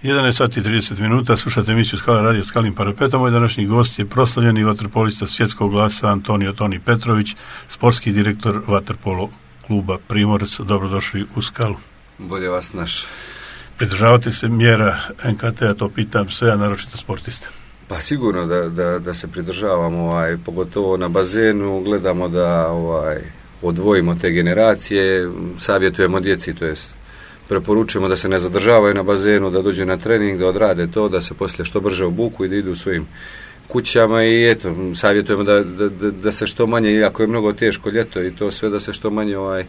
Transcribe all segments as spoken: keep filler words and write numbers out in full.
jedanaest sati i trideset minuta, slušate emisiju Skala radio Skalim parapetom. Moj današnji gost je proslavljeni vaterpolista svjetskog glasa Antonio Toni Petrović, sportski direktor vaterpolo kluba Primorac. Dobrodošli u Skalu. Bolje vas naš. Pridržavate se mjera en ka te a, to pitam sve, a naročito sportiste? Pa sigurno da, da, da se pridržavamo, ovaj, pogotovo na bazenu, gledamo da ovaj, odvojimo te generacije, savjetujemo djeci, to jest preporučujemo da se ne zadržavaju na bazenu, da dođu na trening, da odrade to, da se poslije što brže obuku i da idu svojim kućama i eto, savjetujemo da, da, da, da se što manje, iako je mnogo teško ljeto i to sve, da se što manje ovaj,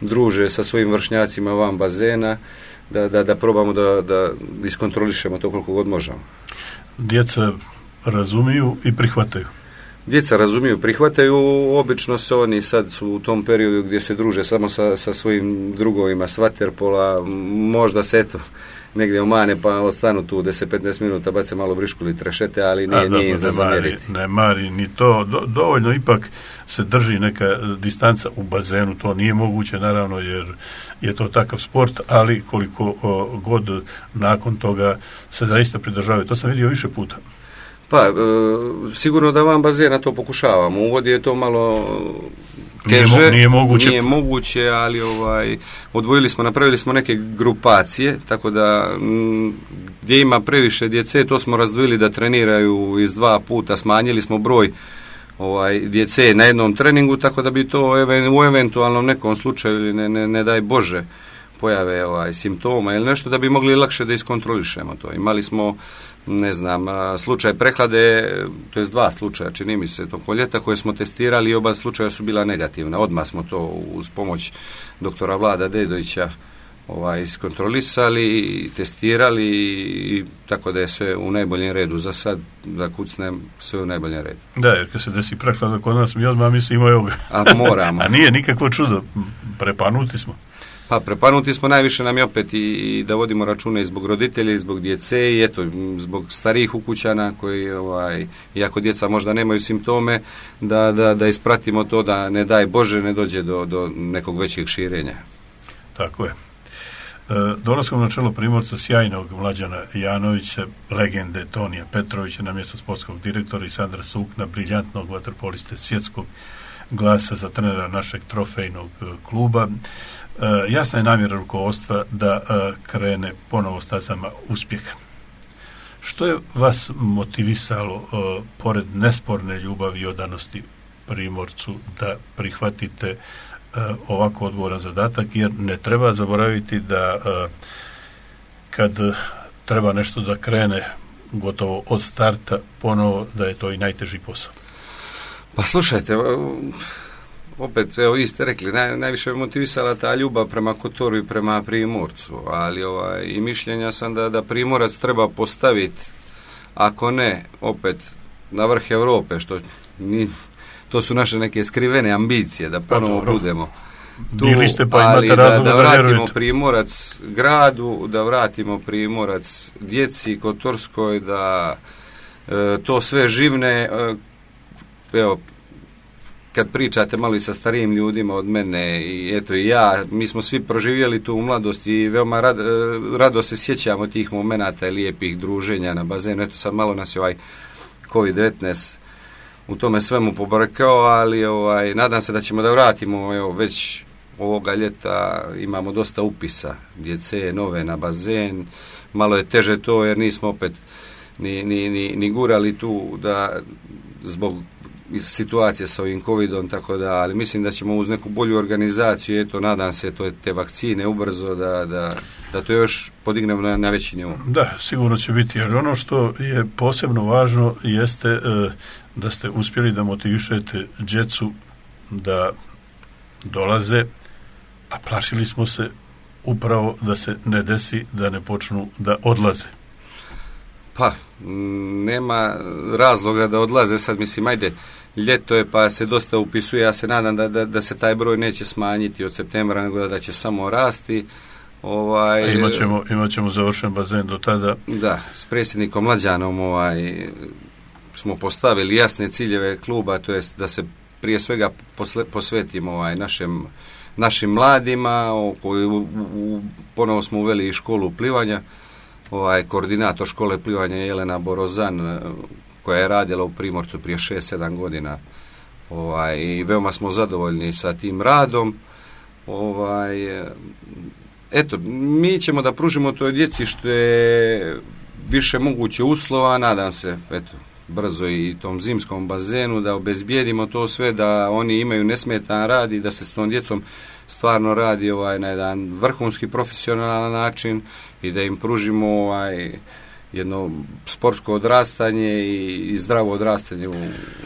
druže sa svojim vršnjacima van bazena, da, da, da probamo da, da iskontrolišemo to koliko god možemo. Djeca razumiju i prihvataju? Djeca razumiju, prihvataju, obično se oni sad su u tom periodu gdje se druže samo sa, sa svojim drugovima s vaterpola, možda se eto negdje omane pa ostanu tu deset do petnaest minuta, bace malo brišku ili trešete, ali nije, nije im za zamjeriti. Ne mari ni to, Do, dovoljno ipak se drži neka distanca u bazenu, to nije moguće naravno jer je to takav sport, ali koliko o, god nakon toga se zaista pridržavaju, to sam vidio više puta. Pa, e, sigurno da van bazena to pokušavamo. U vodi je to malo teže. Nije, nije moguće. Nije moguće, ali ovaj, odvojili smo, napravili smo neke grupacije, tako da m, gdje ima previše djece, to smo razdvojili da treniraju iz dva puta, smanjili smo broj ovaj, djece na jednom treningu, tako da bi to even, u eventualnom nekom slučaju, ili ne, ne, ne daj Bože, pojave ovaj, simptoma ili nešto, da bi mogli lakše da iskontrolišemo to. Imali smo, ne znam, slučaj prehlade, to je dva slučaja, čini mi se, tokom ljeta koje smo testirali i oba slučaja su bila negativna. Odmah smo to uz pomoć doktora Vlada Dedovića ovaj, iskontrolisali, testirali i tako da je sve u najboljem redu. Za sad, da kucnem, sve u najboljem redu. Da, jer kad se desi prehlada kod nas, mi odmah mislimo evo ga. A moramo. A nije nikakvo čudo, prepanuti smo. Pa prepanuti smo, najviše nam je opet i, i da vodimo račune i zbog roditelja i zbog djece i eto, zbog starijih ukućana koji, ovaj, iako djeca možda nemaju simptome, da, da, da ispratimo to da ne daj Bože ne dođe do, do nekog većeg širenja. Tako je. E, dolaskom na čelo Primorca sjajnog Mlađana Janovića, legende Tonija Petrovića na mjesto sportskog direktora i Sandra Sukna, briljantnog vaterpoliste svjetskog glasa za trenera našeg trofejnog kluba. Uh, jasna je namjera rukovodstva da uh, krene ponovo stazama uspjeha. Što je vas motivisalo, uh, pored nesporne ljubavi i odanosti Primorcu, da prihvatite uh, ovako odgovoran zadatak, jer ne treba zaboraviti da uh, kad treba nešto da krene gotovo od starta ponovo, da je to i najteži posao. Pa slušajte, opet, evo, vi ste rekli, naj, najviše je motivisala ta ljubav prema Kotoru i prema Primorcu, ali ovaj, i mišljenja sam da, da Primorac treba postaviti, ako ne, opet, na vrh Europe, što ni, to su naše neke skrivene ambicije, da ponovo pa, budemo tu, bili ste, pa ali imate da, da vratimo vjerujete. Primorac gradu, da vratimo Primorac djeci Kotorskoj, da e, to sve živne, e, evo, kad pričate malo i sa starijim ljudima od mene i eto i ja, mi smo svi proživjeli tu u mladosti i veoma rad, rado se sjećamo tih momenata i lijepih druženja na bazenu. Eto sad malo nas je ovaj kovid devetnaest u tome svemu pobrkao, ali ovaj, nadam se da ćemo da vratimo, evo već ovoga ljeta imamo dosta upisa djece nove na bazen, malo je teže to jer nismo opet ni, ni, ni, ni gurali tu da zbog situacije sa ovim covidom, tako da, ali mislim da ćemo uz neku bolju organizaciju, eto, nadam se, to je te vakcine ubrzo, da, da, da to još podignemo na, na veći nivo. Da, sigurno će biti, jer ono što je posebno važno jeste e, da ste uspjeli da motivišete djecu da dolaze, a plašili smo se upravo da se ne desi, da ne počnu da odlaze. Pa, nema razloga da odlaze, sad mislim, ajde, ljeto je pa se dosta upisuje, ja se nadam da, da, da se taj broj neće smanjiti od septembra, nego da, da će samo rasti. Ovaj, a imat ćemo, imat ćemo završen bazen do tada. Da, s predsjednikom Mlađanom ovaj, smo postavili jasne ciljeve kluba, to jest da se prije svega posle, posvetimo ovaj, našem, našim mladima, o koji u, u, ponovo smo uveli i školu plivanja, ovaj, koordinator škole plivanja Jelena Borozan, koja je radila u Primorcu prije šest sedam godina. Ovaj, i veoma smo zadovoljni sa tim radom. Ovaj, eto, mi ćemo da pružimo toj djeci što je više moguće uslova, nadam se, eto, brzo i tom zimskom bazenu, da obezbijedimo to sve, da oni imaju nesmetan rad i da se s tom djecom stvarno radi ovaj, na jedan vrhunski profesionalan način i da im pružimo ovaj, jedno sportsko odrastanje i, i zdravo odrastanje u,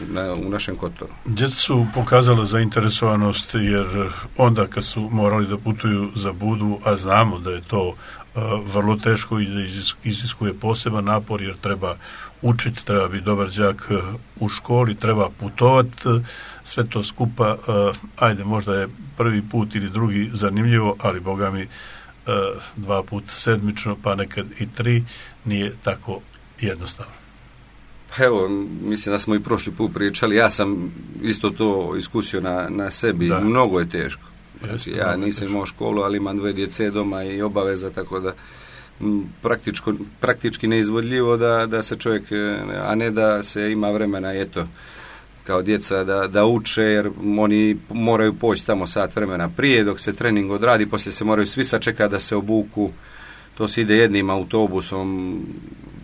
na, u našem Kotoru. Djeca su pokazala zainteresovanost, jer onda kad su morali da putuju za Budu, a znamo da je to uh, vrlo teško i da iziskuje poseban napor, jer treba učiti, treba biti dobar đak uh, u školi, treba putovati, uh, sve to skupa, uh, ajde, možda je prvi put ili drugi zanimljivo, ali boga mi uh, dva put sedmično, pa nekad i tri, nije tako jednostavno. Pa evo, mislim da smo i prošli put pričali, ja sam isto to iskusio na, na sebi, da. Mnogo je teško. Jeste, ja nisam imao školu, ali imam dve djece doma i obaveza, tako da m, praktičko, praktički neizvodljivo da, da se čovjek, a ne da se ima vremena, eto, kao djeca da, da uče, jer oni moraju poći tamo sat vremena prije, dok se trening odradi, poslije se moraju svi sačekati da se obuku, to se ide jednim autobusom,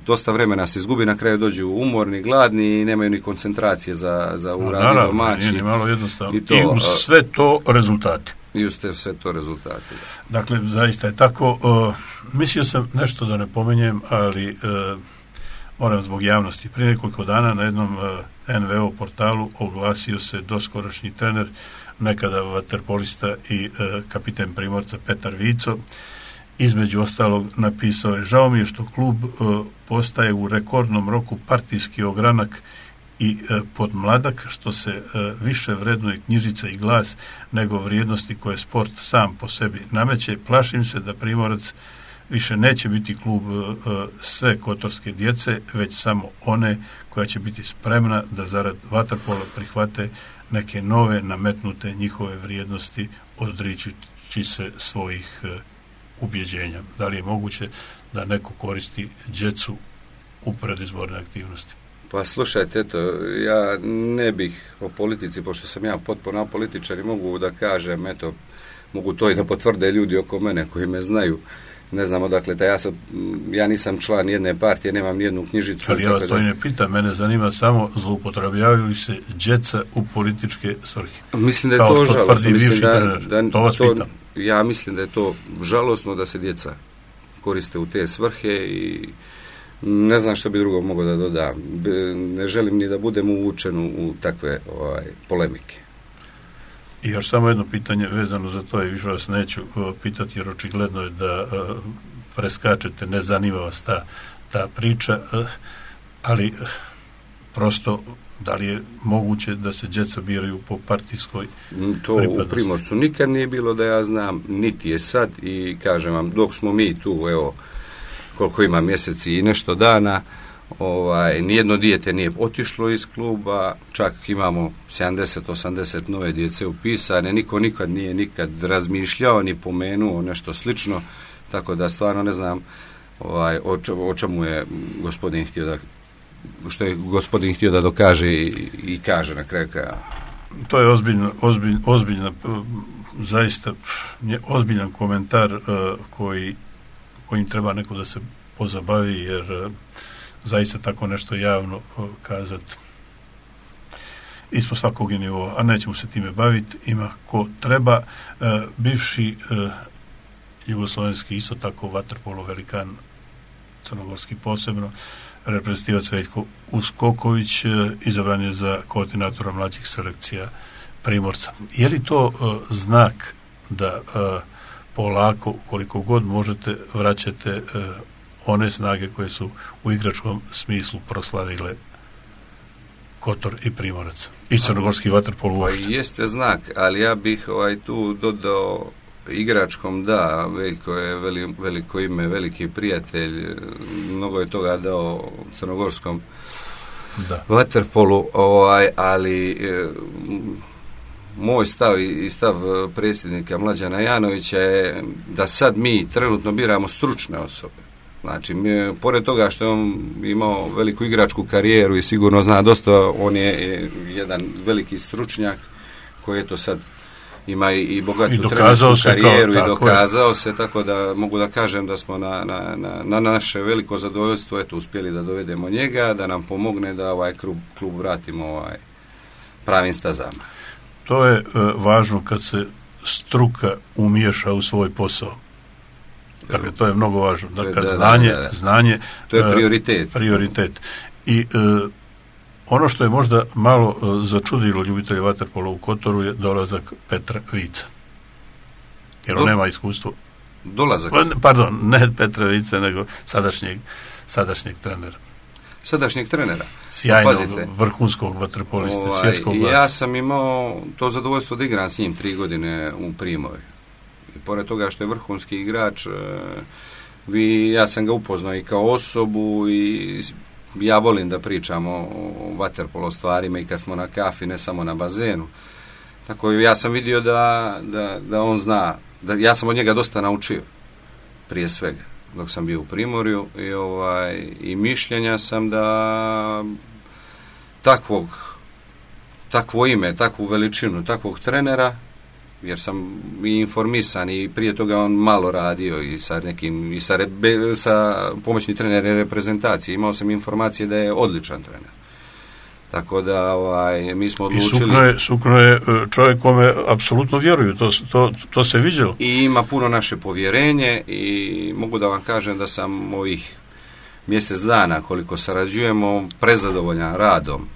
dosta vremena se izgubi, na kraju dođu umorni, gladni i nemaju ni koncentracije za, za uradi domaći. Nije ni malo jednostavno. I, to, I uz sve to rezultati. I uz te sve to rezultati. Da. Dakle, zaista je tako. Uh, mislio sam nešto da ne pomenjem, ali uh, moram zbog javnosti. Prije nekoliko dana na jednom uh, en ve o portalu oglasio se doskorašnji trener, nekada vaterpolista i uh, kapiten Primorca Petar Vico. Između ostalog napisao je: žao mi je što klub e, postaje u rekordnom roku partijski ogranak i e, podmladak, što se e, više vrednuje knjižica i glas nego vrijednosti koje sport sam po sebi nameće. Plašim se da Primorac više neće biti klub e, sve kotorske djece, već samo one koja će biti spremna da zarad vaterpola prihvate neke nove nametnute njihove vrijednosti, odričući se svojih e, ubjeđenja. Da li je moguće da neko koristi djecu u predizborne aktivnosti? Pa slušajte, eto, ja ne bih o politici, pošto sam ja potpuno političar i mogu da kažem, eto, mogu to i da potvrde ljudi oko mene koji me znaju. Ne znam odakle, da ja, sam, ja nisam član jedne partije, nemam nijednu knjižicu. Ali ja vas to i ne pitam, mene zanima samo zloupotrebljavaju li se djeca u političke svrhe. Mislim da je kao to žalostno. Mislim da, da, to vas to, pitam. Ja mislim da je to žalostno da se djeca koriste u te svrhe i ne znam što bi drugo mogao da dodam. Ne želim ni da budem uvučen u takve ovaj, polemike. I još samo jedno pitanje vezano za to, i više vas neću uh, pitati, jer očigledno je da uh, preskačete, ne zanima vas ta, ta priča, uh, ali uh, prosto, da li je moguće da se djeca biraju po partijskoj to pripadnosti? U Primorcu nikad nije bilo da ja znam, niti je sad, i kažem vam, dok smo mi tu, evo, koliko ima mjeseci i nešto dana, ovaj, nijedno dijete nije otišlo iz kluba, čak imamo sedamdeset osamdeset nove djece upisane, niko nikad nije nikad razmišljao ni pomenuo nešto slično, tako da stvarno ne znam ovaj, o, o čemu je gospodin htio da što je gospodin htio da dokaže i, i kaže na kraju kraja. To je ozbiljno, ozbiljno, ozbiljna, zaista ozbiljan komentar uh, koji, kojim treba neko da se pozabavi, jer uh, zaista tako nešto javno uh, kazati ispod svakog nivoa, a nećemo se time baviti, ima ko treba. Uh, bivši uh, jugoslovenski, isto tako vaterpolo velikan, crnogorski posebno, reprezentativac Veljko Uskoković, izabran je za koordinatora mlađih selekcija Primorca. Je li to uh, znak da uh, polako, koliko god možete, vraćate uh, one snage koje su u igračkom smislu proslavile Kotor i Primorac i crnogorski vaterpolo uopšte? Pa jeste znak, ali ja bih ovaj, tu dodao igračkom, da, Veljko je veli, veliko ime, veliki prijatelj, mnogo je toga dao crnogorskom da. vaterpolu, ovaj, ali e, moj stav i stav predsjednika Mlađana Janovića je da sad mi trenutno biramo stručne osobe. Znači, mi, pored toga što je on imao veliku igračku karijeru i sigurno zna dosta, on je jedan veliki stručnjak koji je to sad ima i bogatu trenersku karijeru kao, i dokazao je. se, tako da mogu da kažem da smo na, na, na, na naše veliko zadovoljstvo eto, uspjeli da dovedemo njega, da nam pomogne da ovaj klub, klub vratimo ovaj pravim stazama. To je uh, važno kad se struka umiješa u svoj posao. Dakle, to je mnogo važno. Dakle, da, znanje, da, da, da. znanje... To je prioritet. Uh, prioritet. I uh, ono što je možda malo uh, začudilo ljubitelje vaterpola u Kotoru je dolazak Petra Vica. Jer on Do, nema iskustvo. Dolazak? Pardon, ne Petra Vica, nego sadašnjeg, sadašnjeg trenera. Sadašnjeg trenera. Sjajnog, vrhunskog vaterpolista, ovaj, svjetskog glasa. Ja sam imao to zadovoljstvo da igram s njim tri godine u Primorju. I pored toga što je vrhunski igrač, vi, ja sam ga upoznao i kao osobu i ja volim da pričam o, o vaterpolo stvarima i kad smo na kafi, ne samo na bazenu. Tako ja sam vidio da, da, da on zna, da ja sam od njega dosta naučio, prije svega, dok sam bio u Primorju i, ovaj, i mišljenja sam da takvog, takvo ime, takvu veličinu, takvog trenera, jer sam i informisan i prije toga on malo radio i sa nekim i sa, rebe, sa pomoćnim trenerom reprezentacije. Imao sam informacije da je odličan trener. Tako da ovaj, mi smo odlučili... I Sukno je, Sukno je čovjek kome apsolutno vjeruju, to, to, to se viđalo. I ima puno naše povjerenje i mogu da vam kažem da sam ovih mjesec dana koliko sarađujemo prezadovoljan radom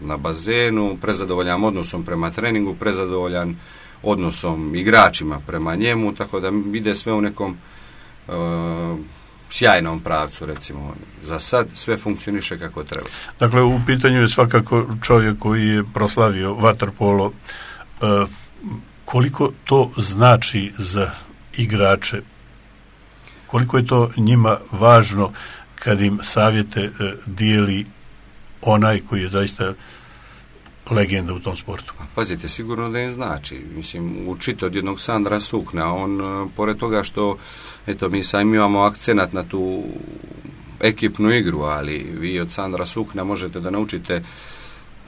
na bazenu, prezadovoljan odnosom prema treningu, prezadovoljan odnosom igračima prema njemu, tako da ide sve u nekom uh, sjajnom pravcu, recimo. Za sad sve funkcioniše kako treba. Dakle, u pitanju je svakako čovjek koji je proslavio vaterpolo. Uh, koliko to znači za igrače? Koliko je to njima važno kad im savjete uh, dijeli onaj koji je zaista legenda u tom sportu? Pazite, sigurno da im znači. Mislim, učite od jednog Sandra Sukna. On, pored toga što, eto, mi sam imamo akcenat na tu ekipnu igru, ali vi od Sandra Sukna možete da naučite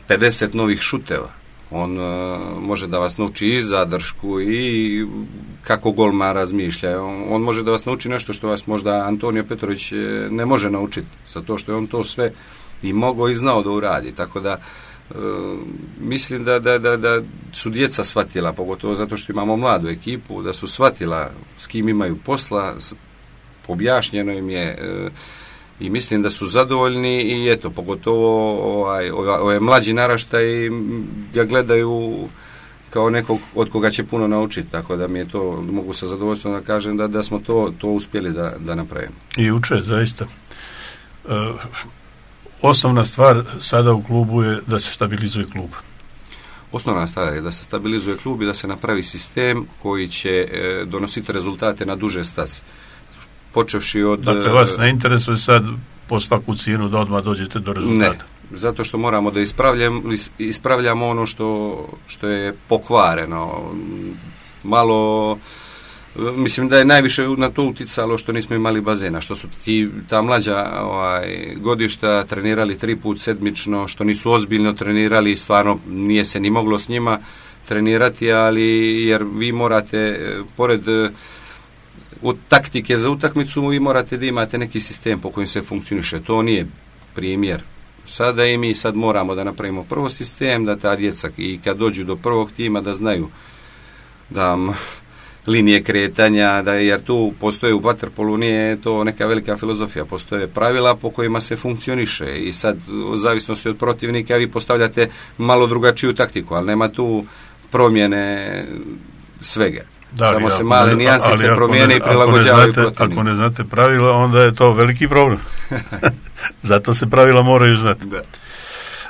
pedeset novih šuteva. On uh, može da vas nauči i zadršku i kako golman razmišlja. On, on može da vas nauči nešto što vas možda Antonio Petrović ne može naučiti, zato što je on to sve i mogao i znao da uradi. Tako da Uh, mislim da, da, da, da su djeca shvatila, pogotovo zato što imamo mladu ekipu, da su shvatila s kim imaju posla, objašnjeno im je uh, i mislim da su zadovoljni i eto, pogotovo ovaj, ovaj mlađi naraštaj ga gledaju kao nekog od koga će puno naučiti, tako da mi je to, mogu sa zadovoljstvom da kažem da, da smo to, to uspjeli da, da napravimo. I uče, zaista. Uh, Osnovna stvar sada u klubu je da se stabilizuje klub. Osnovna stvar je da se stabilizuje klub i da se napravi sistem koji će e, donositi rezultate na duže staze. Počevši od... Dakle, vas ne interesuje sad po svaku cijenu da odmah dođete do rezultata? Ne, zato što moramo da ispravljamo, ispravljamo ono što, što je pokvareno. Malo... Mislim da je najviše na to uticalo što nismo imali bazena, što su ti, ta mlađa ovaj, godišta trenirali tri put sedmično, što nisu ozbiljno trenirali, stvarno nije se ni moglo s njima trenirati, ali jer vi morate, pored u taktike za utakmicu, vi morate da imate neki sistem po kojem se funkcioniše. To nije primjer. Sada i mi sad moramo da napravimo prvo sistem, da ta djeca i kad dođu do prvog tima da znaju da linije kretanja, da jer tu postoje u vaterpolu, nije to neka velika filozofija, postoje pravila po kojima se funkcioniše i sad u zavisnosti od protivnika vi postavljate malo drugačiju taktiku, ali nema tu promjene svega. Da, samo se male nijansice promijene i prilagođavaju protivniku. Ako ne znate pravila, onda je to veliki problem. Zato se pravila moraju znati. Da.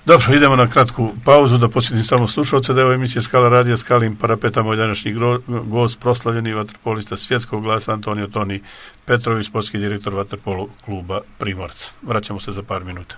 Dobro, idemo na kratku pauzu da posjetim samo slušalce da je ovo emisija Skala radija Skalim parapeta, moj današnji gost, proslavljeni vaterpolista svjetskog glasa Antonio Toni Petrović, sportski direktor vaterpolo kluba Primorac. Vraćamo se za par minuta.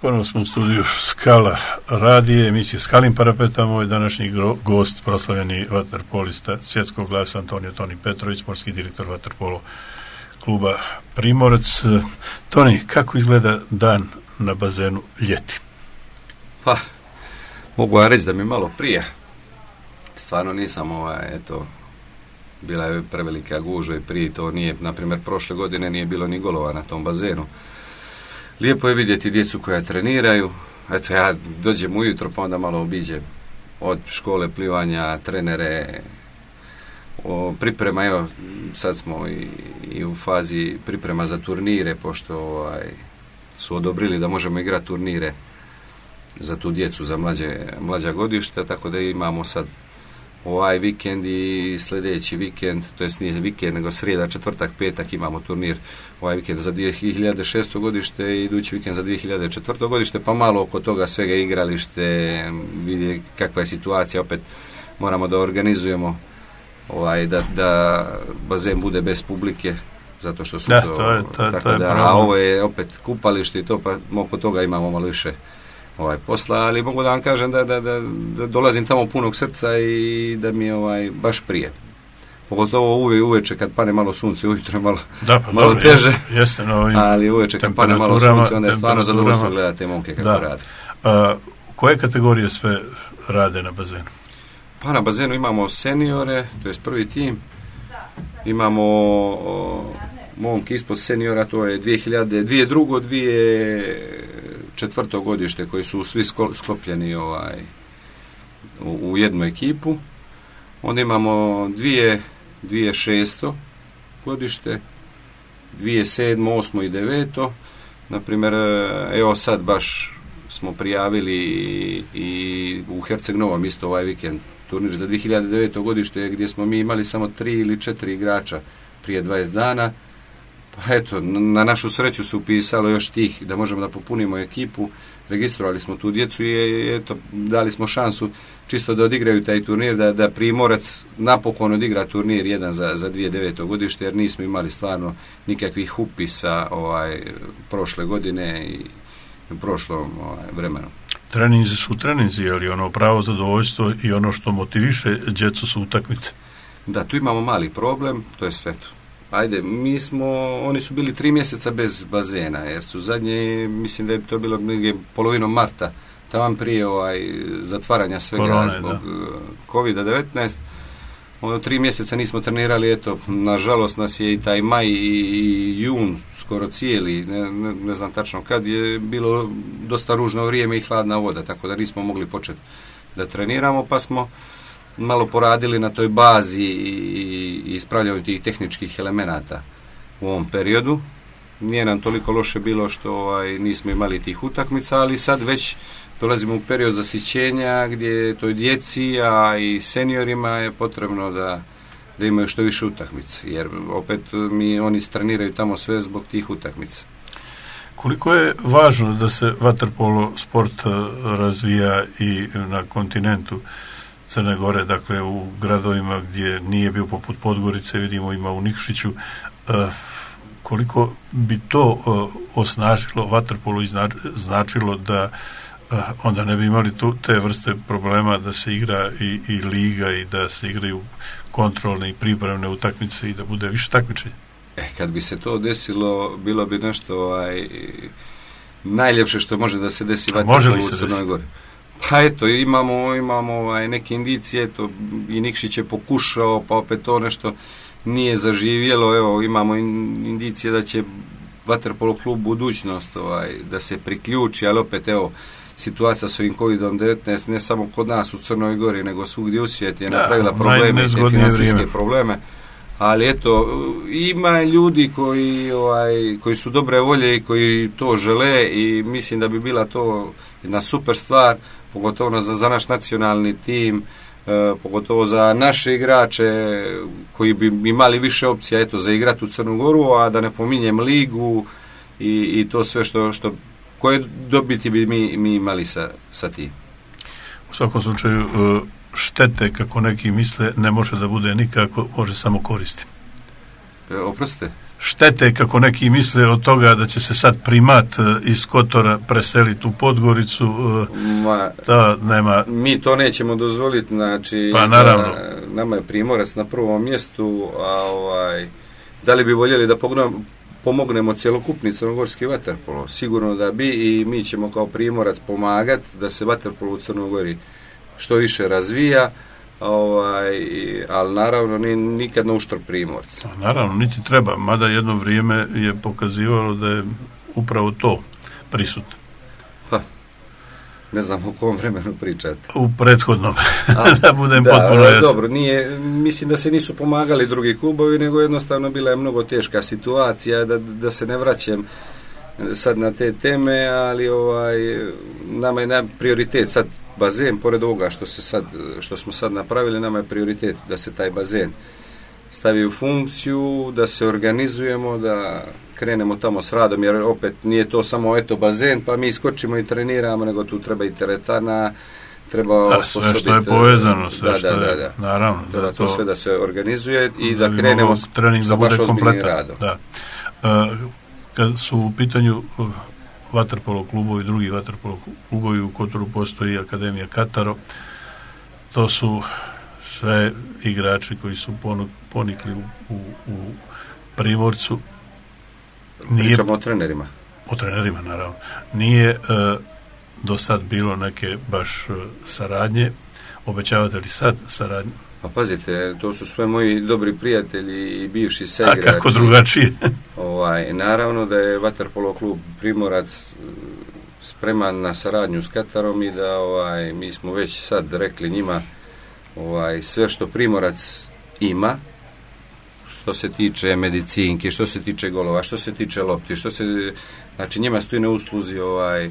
Ponovno smo u studiju Skala radije, emisije Skalim parapetom. Moj današnji gost, proslavljeni vaterpolista svjetskog glasa Antonio Toni Petrović, sportski direktor vaterpolo kluba Primorac. Toni, kako izgleda dan na bazenu ljeti? Pa, mogu ja reći da mi malo prije. Stvarno nisam, ovaj, eto, bila je prevelika gužva i prije to nije, na primjer, prošle godine nije bilo ni golova na tom bazenu. Lijepo je vidjeti djecu koja treniraju. Eto, ja dođem ujutro pa onda malo obiđem od škole plivanja, trenere, o, priprema, evo, sad smo i, i u fazi priprema za turnire, pošto ovaj, su odobrili da možemo igrati turnire za tu djecu, za mlađe, mlađa godišta, tako da imamo sad ovaj vikend i sljedeći vikend, to jest nije vikend, nego srijeda, četvrtak, petak imamo turnir ovaj vikend za dvije hiljade šesto godište i idući vikend za dvije hiljade četvrto godište, pa malo oko toga svega igralište, vidi kakva je situacija, opet moramo da organizujemo ovaj, da, da bazen bude bez publike, zato što su da, to, to, je, to, tako to je da, a ovo je opet kupalište i to, pa oko toga imamo malo više ovaj posla, ali mogu da vam kažem da, da, da, da dolazim tamo punog srca i da mi je ovaj baš prije. Pogotovo uve, uveče kad pane malo sunce, ujutro je malo, da, pa, malo dobro, teže, jeste, jeste, no, ali uveče kad pane malo sunce, onda je stvarno zadovoljstvo gledati te momke kako da. rade. A, koje kategorije sve rade na bazenu? Pa na bazenu imamo seniore, to je prvi tim, imamo o, momke ispod seniora, to je dvije hiljade, dvije drugo, dvije četvrto godište koji su svi sklopljeni ovaj, u, u jednu ekipu. Onda imamo dvije, dvije šesto godište, dvije sedmo, osmo i deveto. Naprimjer, evo sad baš smo prijavili i, i u Herceg Novom isto ovaj vikend turnir za dvije hiljade deveto godište gdje smo mi imali samo tri ili četiri igrača prije dvadeset dana. Pa eto, na našu sreću se upisalo još tih da možemo da popunimo ekipu, registrovali smo tu djecu i eto, dali smo šansu čisto da odigraju taj turnir, da, da Primorac napokon odigra turnir jedan za, za dvije hiljade deveto godište, jer nismo imali stvarno nikakvih upisa ovaj, prošle godine i u prošlom ovaj, vremenu. Treninzi su treninzi, ali ono pravo zadovoljstvo i ono što motiviše djecu su utakmice. Da, tu imamo mali problem, to je sve to. Ajde, mi smo, oni su bili tri mjeseca bez bazena, jer su zadnje, mislim da je to bilo negdje polovinom marta, taman prije ovaj, zatvaranja svega Korone, zbog kovid devetnaest. Ono, tri mjeseca nismo trenirali, eto, nažalost nas je i taj maj i, i jun skoro cijeli, ne, ne, ne znam tačno kad, je bilo dosta ružno vrijeme i hladna voda, tako da nismo mogli početi da treniramo, pa smo malo poradili na toj bazi i ispravljanju tih tehničkih elemenata u ovom periodu. Nije nam toliko loše bilo što ovaj, nismo imali tih utakmica, ali sad već dolazimo u period zasićenja gdje toj djeci, a i seniorima je potrebno da, da imaju što više utakmica, jer opet mi oni treniraju tamo sve zbog tih utakmica. Koliko je važno da se vaterpolo sport razvija i na kontinentu Crne Gore, dakle u gradovima gdje nije bio poput Podgorice, vidimo ima u Nikšiću, uh, koliko bi to uh, osnažilo vaterpolo i znači, značilo da uh, onda ne bi imali tu te vrste problema da se igra i, i liga i da se igraju kontrolne i pripremne utakmice i da bude više takmičenja. E, kad bi se to desilo, bilo bi nešto ovaj, najljepše što može da se desi vaterpolo u Crnoj Gori. Pa eto, imamo, imamo ovaj, neke indicije, eto, i Nikšić je pokušao, pa opet to nešto nije zaživjelo, evo, imamo in, indicije da će vaterpolo klub budućnost ovaj, da se priključi, ali opet, evo, situacija s ovim kovid devetnaest ne samo kod nas u Crnoj Gori, nego svugdje u svijetu je da, napravila probleme, te financijske vrijeme. probleme, ali eto, ima ljudi koji, ovaj, koji su dobre volje i koji to žele i mislim da bi bila to jedna super stvar, pogotovo za, za naš nacionalni tim, e, pogotovo za naše igrače koji bi imali više opcija eto, za igrati u Crnu Goru, a da ne pominjem ligu i, i to sve što, što koje dobiti bi mi, mi imali sa, sa tim. U svakom slučaju štete, kako neki misle, ne može da bude nikako, može samo koristi. E, oprostite? štete, kako neki misle, od toga da će se sad primat iz Kotora preseliti u Podgoricu, Ma, to nema... Mi to nećemo dozvoliti, znači... Pa naravno. Da, nama je Primorac na prvom mjestu, a ovaj, da li bi voljeli da pogledamo, pomognemo cjelokupni crnogorski vaterpolo? Sigurno da bi, i mi ćemo kao Primorac pomagati da se vaterpolo u Crnogori što više razvija, ovaj, ali naravno ni, nikad na uštrb Primorca. Naravno, niti treba, mada jedno vrijeme je pokazivalo da je upravo to prisutno. Pa, ne znam u kom vremenu pričate. U prethodnom, a, da budem da, potpuno jasan. Dobro, nije, mislim da se nisu pomagali drugi klubovi, nego jednostavno bila je mnogo teška situacija, da, da se ne vraćam sad na te teme, ali ovaj, nama je na prioritet sad bazen, pored ovoga što, se sad, što smo sad napravili, nama je prioritet da se taj bazen stavi u funkciju, da se organizujemo, da krenemo tamo s radom, jer opet nije to samo eto bazen, pa mi skočimo i treniramo, nego tu treba i teretana, treba da, osposobiti... sve što je povezano, sve da, što da, je, da, da. naravno. Treba da to, to sve da se organizuje i da, da krenemo trening sa da bude baš ozbiljnim kompletan. radom. Da. Uh, kad su u pitanju uh, vaterpolo klubovi, drugi vaterpolo klubovi, u Kotoru postoji Akademija Kataro, to su sve igrači koji su ponikli u, u, u Primorcu. Nije, Pričamo o trenerima. O trenerima, naravno. Nije uh, do sad bilo neke baš uh, saradnje. Obećavate li sad saradnje? Pa pazite, to su sve moji dobri prijatelji i bivši saigrači. A kako drugačije? ovaj, naravno da je vaterpolo klub Primorac spreman na saradnju s Katarom i da ovaj, mi smo već sad rekli njima ovaj, sve što Primorac ima, što se tiče medicinki, što se tiče golova, što se tiče lopti, što se, znači njima stoji na usluzi ovaj,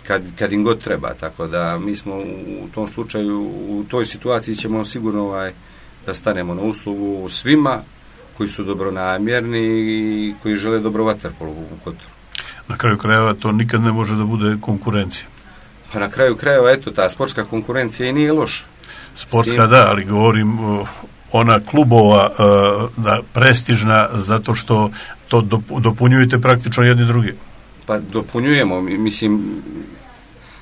kad, kad im god treba, tako da mi smo u tom slučaju, u toj situaciji ćemo sigurno ovaj, da stanemo na uslugu svima koji su dobronamjerni i koji žele dobro vaterpolo u Kotoru. Na kraju krajeva to nikad ne može da bude konkurencija. Pa na kraju krajeva, eto, ta sportska konkurencija i nije loša. Sportska da, ali govorim uh, ona klubova uh, da prestižna, zato što to dopunjujete praktično jedni drugi. Pa dopunjujemo, mislim,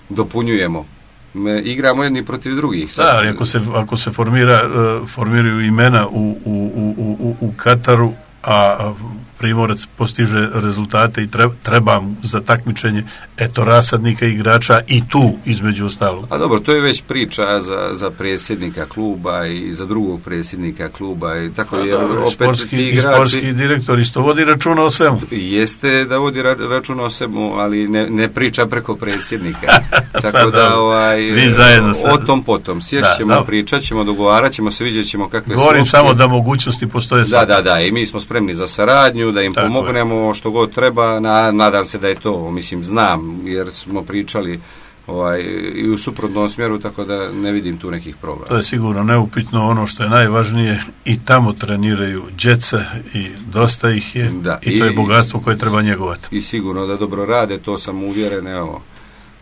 dopunjujemo. Me igramo jedni protiv drugih. Sad, da, ali ako se, ako se formira, uh, formiraju imena u, u, u, u, u Kataru, a Primorac postiže rezultate i treba, treba za takmičenje eto rasadnika igrača i tu između ostalog. A dobro, to je već priča za, za predsjednika kluba i za drugog predsjednika kluba i tako je. Opet sportski, ti igrači, i sportski direktor isto vodi računa o svemu. Jeste da vodi ra, računa o svemu, ali ne, ne priča preko predsjednika. Tako da ovaj, vi zajedno o tom potom sješćemo, da, pričat ćemo, dogovarat ćemo se, vidjet ćemo kakve govorim slučke. Samo da mogućnosti postoje. Da, da, da, i mi smo spremni za saradnju, da im tako pomognemo je. Što god treba, na, nadam se da je to, mislim, znam, jer smo pričali ovaj, i u suprotnom smjeru, tako da ne vidim tu nekih problema. To je sigurno neupitno, ono što je najvažnije, i tamo treniraju djeca i dosta ih je, da, i to je bogatstvo koje treba njegovati. I sigurno da dobro rade, to sam uvjeren, evo,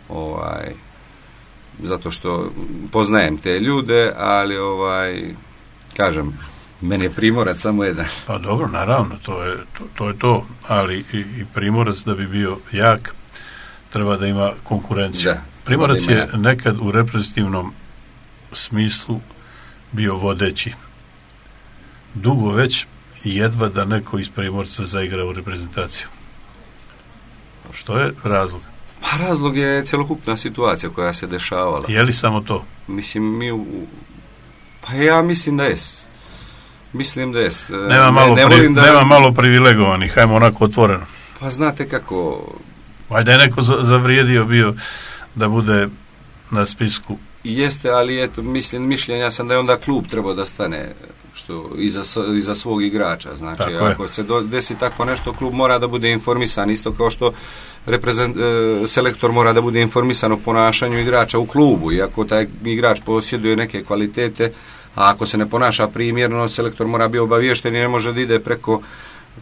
ovaj, zato što poznajem te ljude, ali ovaj, kažem, meni je Primorac samo jedan. Pa dobro, naravno, to je to, to, je to. Ali i, i Primorac da bi bio jak, treba da ima konkurenciju. Da, Primorac da je nekad u reprezentativnom smislu bio vodeći. Dugo već jedva da neko iz Primorca zaigra u reprezentaciju. Što je razlog? Pa razlog je cjelokupna situacija koja se dešavala. Je li samo to? Mislim, mi u... Pa ja mislim da jes. Mislim da jes. Nema, malo, ne, ne pri, da... nema malo privilegovanih, hajmo onako otvoreno. Pa znate kako... Valjda je neko zavrijedio bio da bude na spisku. Jeste, ali eto, mislim, mišljenja sam da je onda klub trebao da stane što iza, iza svog igrača. Znači, tako ako je. se do, desi tako nešto, klub mora da bude informisan, isto kao što reprezent, e, selektor mora da bude informisan o ponašanju igrača u klubu. I ako taj igrač posjeduje neke kvalitete, a ako se ne ponaša primjerno, selektor mora biti obaviješten i ne može da ide preko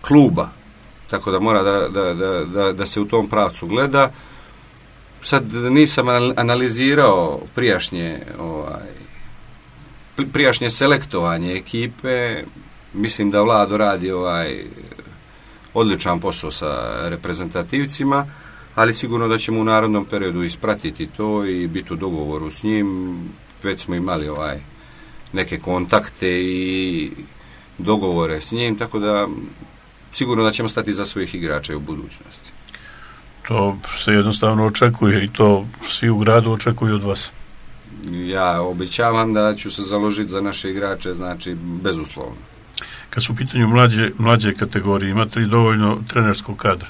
kluba. Tako da mora da, da, da, da, da se u tom pravcu gleda. Sad nisam analizirao prijašnje ovaj, prijašnje selektovanje ekipe. Mislim da Vlado radi ovaj odličan posao sa reprezentativcima, ali sigurno da ćemo u narodnom periodu ispratiti to i biti u dogovoru s njim. Već smo imali ovaj neke kontakte i dogovore s njim, tako da sigurno da ćemo stati za svojih igrača u budućnosti. To se jednostavno očekuje i to svi u gradu očekuju od vas. Ja obećavam da ću se založiti za naše igrače, znači bezuslovno. Kad su u pitanju mlađe, mlađe kategorije, imate li dovoljno trenerskog kadra?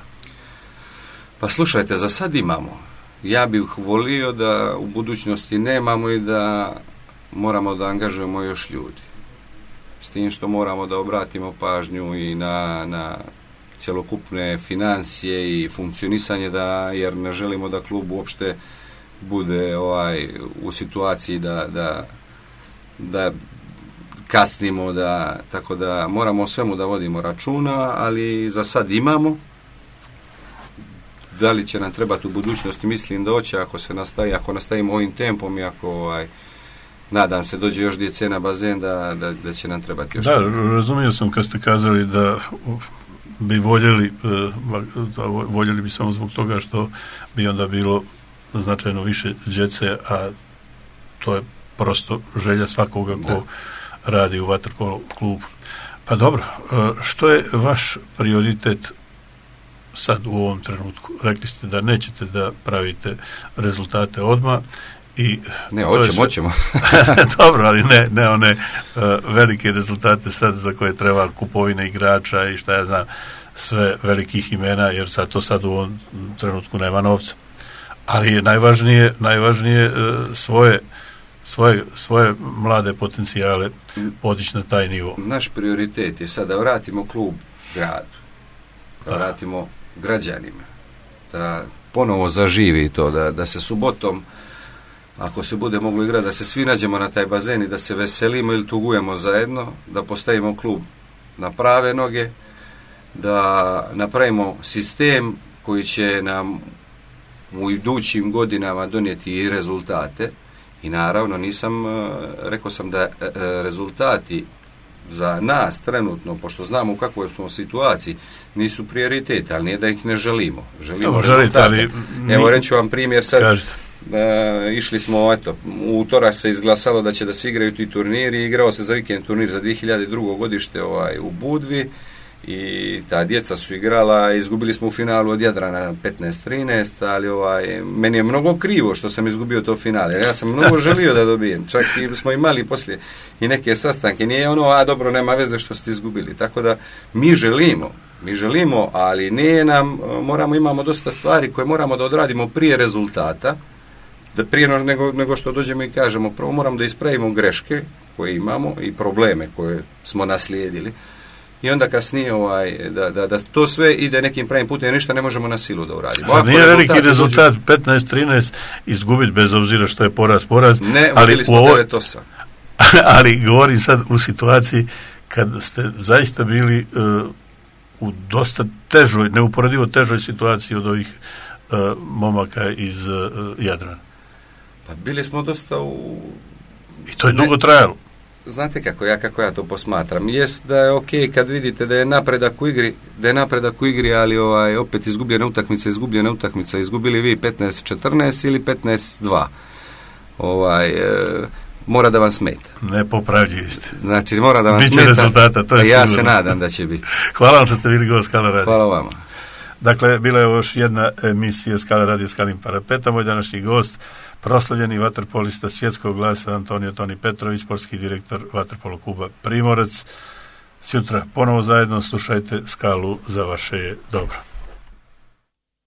Pa slušajte, za sad imamo. Ja bih volio da u budućnosti nemamo i da moramo da angažujemo još ljudi. S tim što moramo da obratimo pažnju i na, na cjelokupne financije i funkcionisanje, da, jer ne želimo da klub uopšte bude ovaj, u situaciji da, da, da kasnimo, da, tako da moramo o svemu da vodimo računa, ali za sad imamo. Da li će nam trebati u budućnosti, mislim da hoće, ako se nastavi, ako nastavimo ovim tempom i ako ovaj, nadam se dođe još djece na bazen, da, da, da će nam trebati još. Da, razumio sam kad ste kazali da bi voljeli, da voljeli bi samo zbog toga što bi onda bilo značajno više djece, a to je prosto želja svakoga ko da. radi u vaterpolo klubu. Pa dobro, što je vaš prioritet sad u ovom trenutku? Rekli ste da nećete da pravite rezultate odmah i ne, hoćemo, hoćemo. Dobro, ali ne, ne one uh, velike rezultate sad za koje treba kupovine igrača i šta ja znam, sve velikih imena, jer sad to sad u ovom trenutku nema novca. Ali je najvažnije, najvažnije uh, svoje, svoje, svoje mlade potencijale podići na taj nivo. Naš prioritet je sad da vratimo klub gradu, da vratimo građanima, da ponovo zaživi to, da, da se subotom, ako se bude moglo igrati, da se svi nađemo na taj bazen i da se veselimo ili tugujemo zajedno, da postavimo klub na prave noge, da napravimo sistem koji će nam u idućim godinama donijeti i rezultate. I naravno nisam, rekao sam da rezultati za nas trenutno, pošto znamo u kakvoj smo situaciji, nisu prioriteti, ali nije da ih ne želimo. Želimo Dobre, rezultate. Želite, ali Evo reću vam primjer sad. Kažete. Da, išli smo, eto, u utorak se izglasalo da će da se igraju ti turniri, igrao se za vikend turnir za dvije hiljade drugo godište ovaj, u Budvi i ta djeca su igrala, izgubili smo u finalu od Jadrana petnaest trinaest, ali ovaj, meni je mnogo krivo što sam izgubio to finale, ja sam mnogo želio da dobijem, čak i smo imali poslije i neke sastanke, nije ono, a dobro, nema veze što ste izgubili, tako da mi želimo, mi želimo, ali nije nam, moramo, imamo dosta stvari koje moramo da odradimo prije rezultata, da prije nego, nego što dođemo i kažemo, prvo moramo da ispravimo greške koje imamo i probleme koje smo naslijedili i onda kasnije ovaj, da, da, da to sve ide nekim pravim putem, ništa ne možemo na silu da uradimo. Zar nije veliki rezultat dođu... petnaest trinaest izgubiti bez obzira što je poraz poraz? Ne, vodili smo ovo... devet osam. Ali govorim sad u situaciji kad ste zaista bili uh, u dosta težoj, neuporedivo težoj situaciji od ovih uh, momaka iz uh, Jadrana. Pa bili smo dosta u... I to je dugo trajalo. Znate kako ja, kako ja to posmatram. Jest da je ok kad vidite da je napredak u igri, da je napredak u igri, ali ovaj, opet izgubljena utakmica, izgubljena utakmica, izgubili vi petnaest četrnaest ili petnaest dva. Ovaj, e, mora da vam smeta. Nepopravljivi ste. Znači, mora da vam Biće smeta. Rezultata, to je a ja sigurno. se nadam da će biti. Hvala vam što ste bili gost Skala Radio. Hvala vama. Dakle, bila je još jedna emisija Skala Radio Skalin Parapeta. Moj današnji gost, proslavljeni vaterpolista svjetskog glasa Antonio Toni Petrović, sportski direktor vaterpolo kluba Primorac. Sutra ponovo zajedno slušajte Skalu, za vaše je dobro.